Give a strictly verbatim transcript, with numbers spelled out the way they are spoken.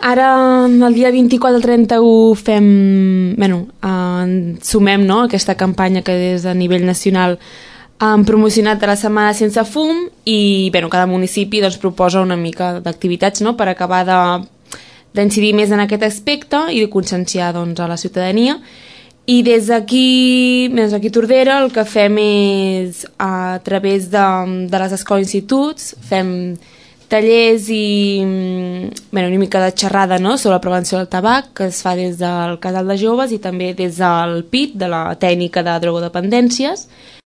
ara el dia vint-i-quatre al trenta-u fem, bueno, eh, sumem, no?, aquesta campanya que des de nivell nacional han promocionat de la Setmana Sense Fum i, bueno, cada municipi doncs, proposa una mica d'activitats, no?, per acabar de d'incidir més en aquest aspecte i de conscienciar, doncs, a la ciutadania. I des d'aquí, des d'aquí Tordera, el que fem és, a través de, de les escoles i instituts, fem tallers i, bueno, una mica de xerrada, no?, sobre la prevenció del tabac, que es fa des del Casal de Joves i també des del P I T, de la tècnica de drogodependències.